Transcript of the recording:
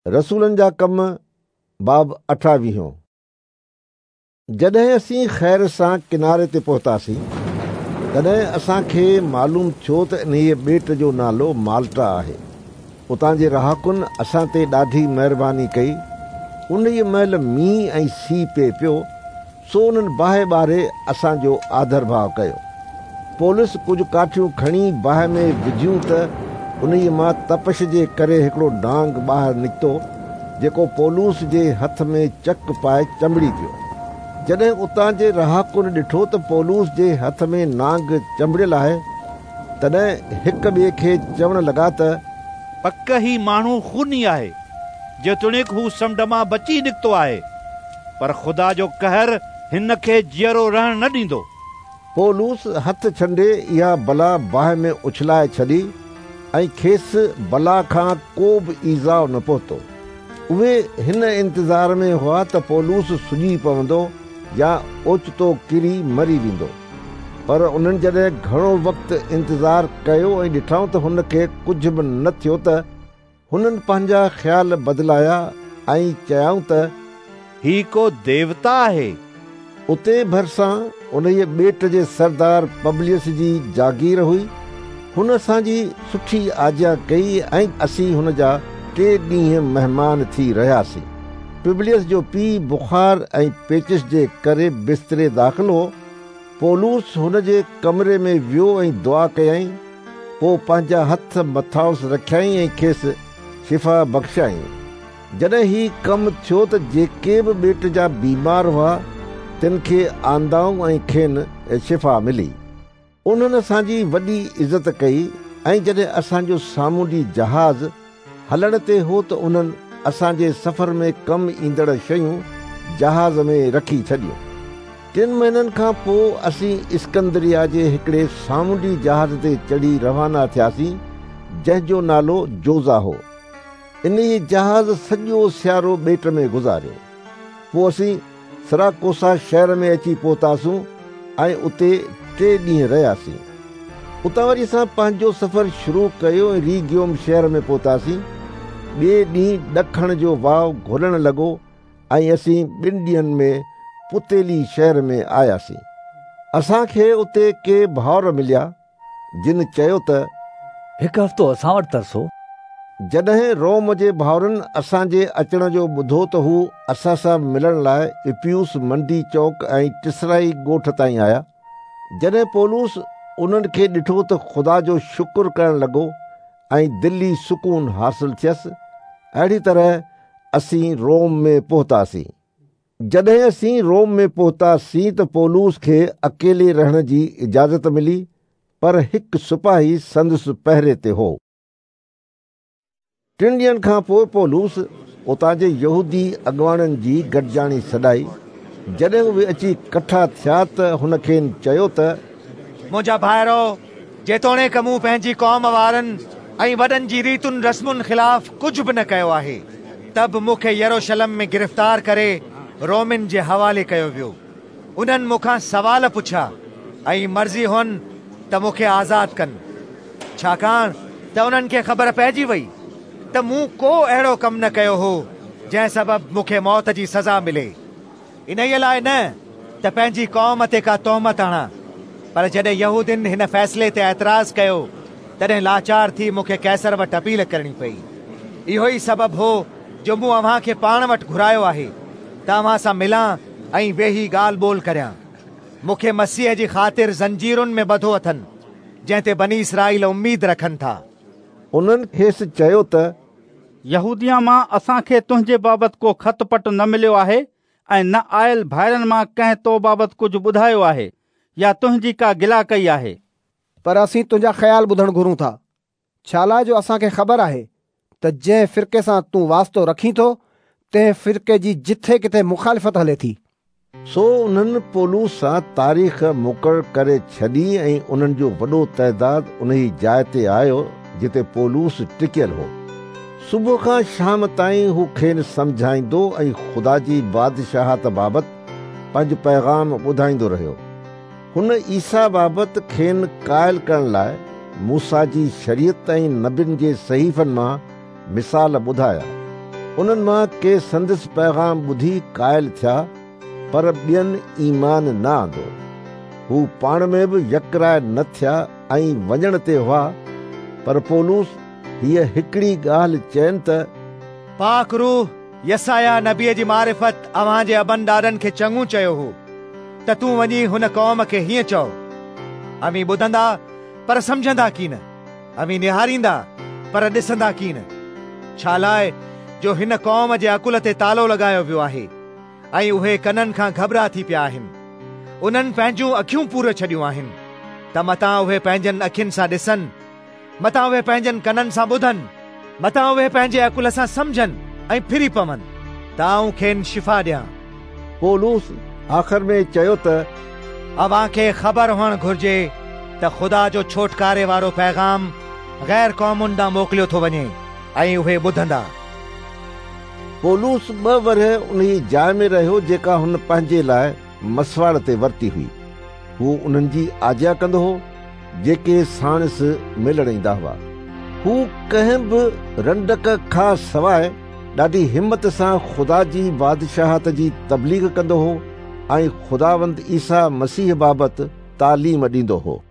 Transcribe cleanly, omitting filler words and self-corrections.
رسولن جا ڪم، باب اٺاويهون. جڏهن اسين خير سان ڪناري تي پهتاسين، تڏهن اسان کي معلوم ٿيو ته انهيء ٻيٽ جو نالو مالٽا آهي. اتان جي رهاڪن اسان تي ڏاڍي مهرباني ڪئي. انهيء مهل مينهن ۽ سيء پئي پيو، سو انهن باهه ٻاري اسان جو آڌرڀاء ڪيو. پولس ڪجهه ڪاٺيون کڻي باهه ۾ وڌيون ته انهيء مان تپش جي ڪري هڪڙو نانگ ٻاهر نڪتو، جيڪو پولس جي هٿ ۾ چڪ پائي چنبڙي پيو. جڏهن اتان جي رهاڪن ڏٺو ته پولس جي هٿ ۾ نانگ چنبڙيل آهي، تڏهن هڪ ٻئي کي چوڻ لڳا ته. پڪ هي ماڻهو خوني آهي. جيتوڻيڪ هو سمنڊ مان بچي نڪتو آهي، پر خدا جو قهر هن کي جيئرو رهڻ نه ڏيندو. پولس هٿ ڇنڊي اها بلا باهه ۾ اڇلائي ڇڏي ۽ کيس بلا کان ڪو به ايذاء نه پهتو. اهي هن انتظار ۾ هئا ته پولس سڄي پوندو يا اوچتو ڪري مري ويندو. پر انهن جڏهن گهڻو وقت انتظار ڪيو ۽ ڏٺائون ته هن کي ڪجهه به نه ٿيو ته هنن پنهنجا خيال بدلايا ۽ چيائون ته. هي ڪو ديوتا آهي. اتي ڀرسان انهيء ٻيٽ جي سردار پبليس جي جاگير هئي. هن اسان جي سٺي آجيان ڪئي ۽ اسين هن جا ٽي ڏينهن مهمان ٿي رهياسين. پبليس جو پيء بخار ۽ پيچش جي ڪري بستري داخل هو. پولس هن جي ڪمري ۾ ويو ۽ دعا ڪيائين، پوء پنهنجا هٿ مٿانئس رکيائين ۽ کيس شفا بخشيائين. جڏهن هي ڪم ٿيو ته جيڪي به ٻيٽ جا بيمار هئا، تن کي آندائون ۽ کين شفا ملي. انهن اسان جي وڏي عزت ڪئي ۽ جڏهن اسان جو سامونڊي جهاز هلڻ تي هو ته انهن اسان جي سفر ۾ ڪم ايندڙ شيون جهاز ۾ رکي ڇڏيون. ٽن مهينن کان پوء اسين اسڪندريه جي هڪڙي سامونڊي جهاز تي چڙهي روانا ٿياسين، جنهن جو نالو جوزا هو. انهيء جهاز سڄو سيارو ٻيٽ ۾ گذاريو. پوء اسين سراڪوسا شهر ۾ اچي پهتاسون ۽ اتي ٽي ڏينهن رهياسين. اتان وري اسان پنهنجو سفر شروع ڪيو ۽ ريگيوم شهر ۾ پهتاسين. ٻئي ڏينهن ڏکڻ جو واء گهلڻ لڳو ۽ اسين ٻن ڏينهن ۾ پتيلي شهر ۾ آياسين. اسان کي اتي ڪي ڀائر مليا، جن چيو ته. هڪ هفتو اسان وٽ ترسو. جڏهن روم جي ڀائرن اسان جي اچڻ جو ٻڌو ته هو اسان سان ملڻ لاء اپيوس منڊي چوڪ ۽ ٽسرائي ڳوٺ تائين آيا. جڏهن پولس انهن کي ڏٺو ته خدا جو شڪر ڪرڻ لڳو ۽ دلي سڪون حاصل ٿيس. اهڙي طرح اسين روم ۾ پهتاسين. جڏهن اسين روم ۾ پهتاسين ته پولس کي اڪيلي رهڻ جي اجازت ملي، پر هڪ سپاهي سندس پهري تي هو. ٽن ڏينهن کان پوء پولس اتان جي يهودي اڳواڻن جي گڏجاڻي سڏائي. جڏهن اهي اچي ڪٺا ٿيا ته هن کين چيو ته. منهنجا ڀائرؤ، جيتوڻيڪ مون پنهنجي قوم وارن ۽ وڏن جي ريتن رسمن خلاف ڪجهه به نه ڪيو آهي، ته به مون کي يروشلم ۾ گرفتار ڪري رومين جي حوالي ڪيو ويو. انهن مون کان سوال پڇيا ۽ مرضي هئن ته مون کي آزاد ڪن، ڇاڪاڻ ته انهن کي خبر پئجي وئي ته مون ڪو اهڙو ڪم نه ڪيو هو، جنهن سبب مون کي موت جي سزا ملي. انهيء لاء نه ته پنهنجي قوم تي ڪا تهمت آڻان، پر جڏهن يهودين هن فيصلي تي اعتراض ڪيو، تڏهن لاچار ٿي مون کي قيصر وٽ اپيل ڪرڻي پئي. اهو ئي سبب هو جو مون اوهان کي پاڻ وٽ گهرايو آهي ته اوهان سان ملان ۽ ويهي ڳالهه ٻولهه ڪريان. مون کي مسيح جي خاطر زنجيرن ۾ ٻڌو اٿن، جنهن تي بني اسرائيل اميد رکن ٿا. انهن کيس چيو ته. يهوديه مان اسان کي تنهنجي بابت ڪو خط پٽ نه مليو آهي ۽ نه آيل ڀائرن مان ڪنهن تو بابت ڪجهه ٻڌايو آهي يا تنهنجي ڪا گلا ڪئي آهي. پر اسين تنهنجا خيال ٻڌڻ گهرون ٿا، ڇالاء جو اسان کي خبر آهي ته جنهن فرقي سان تون واسطو رکين ٿو، تنهن فرقي جي جٿي ڪٿي مخالفت هلي ٿي. سو انهن پولس سان تاريخ مقرر ڪري ڇڏي ۽ انهن جو وڏو تعداد انهي جاء تي آيو جتي پولس ٽڪيل هو. صبح کان شام تائين هو کين سمجهائيندو ۽ خدا جي بادشاهت بابت پنهنجو پيغام ٻڌائيندو رهيو. هن عيسيٰ بابت کين قائل ڪرڻ لاء موسيٰ جي شريعت ۽ نبين جي صحيفن مان مثال ٻڌايا. انهن مان ڪي سندس پيغام ٻڌي قائل ٿيا، پر ٻين ايمان نه آندو. هو پاڻ ۾ به يڪراء نه ٿيا ۽ وڃڻ تي هئا، پر پولس هيء هڪڙي ڳالهه چين ته، پاڪ روح يسعياه نبيء جي معرفت اوهان جي ابن ڏاڏن کي چڱو چيو هو ته تون وڃي هن قوم کي هيئن چئو، اوهين ٻڌندا پر سمجهندا ڪين، اوهين نهاريندا پر ڏسندا ڪين، ڇالاء جو هن قوم جي عقل تي تالو لڳايو ويو آهي ۽ اهي ڪنن کان گهٻرا ٿي پيا آهن. انهن پنهنجون اکيون پوري ڇڏيون آهن ته متان اهي پنهنجن اکين سان ڏسن، متان اهي پنهنجن ڪنن سان ٻڌن، متان اهي پنهنجي عقل سان سمجهن ۽ ڦري پون، ته آئون کين شفا ڏيان. پولس آخر ۾ چيو ته. اوهان کي خبر هئڻ گهرجي ته خدا جو ڇوٽڪاري وارو پيغام غير قومن ڏانهن موڪليو ٿو وڃي ۽ اهي ٻڌندا. پولس ٻه ورهيه انهيء جاء ۾ رهيو جيڪا هن پنهنجي لاء مسواڙ تي ورتي هئي. هو انهن جي آجيان ڪندو هو، جيڪي ساڻس ملڻ ايندا هئا. هو ڪنهن به رنڊڪ کان سواء ڏاڍي همت سان خدا جي بادشاهت جي تبليغ ڪندو هو ۽ خداوند عيسيٰ مسيح بابت تعليم ڏيندو هو.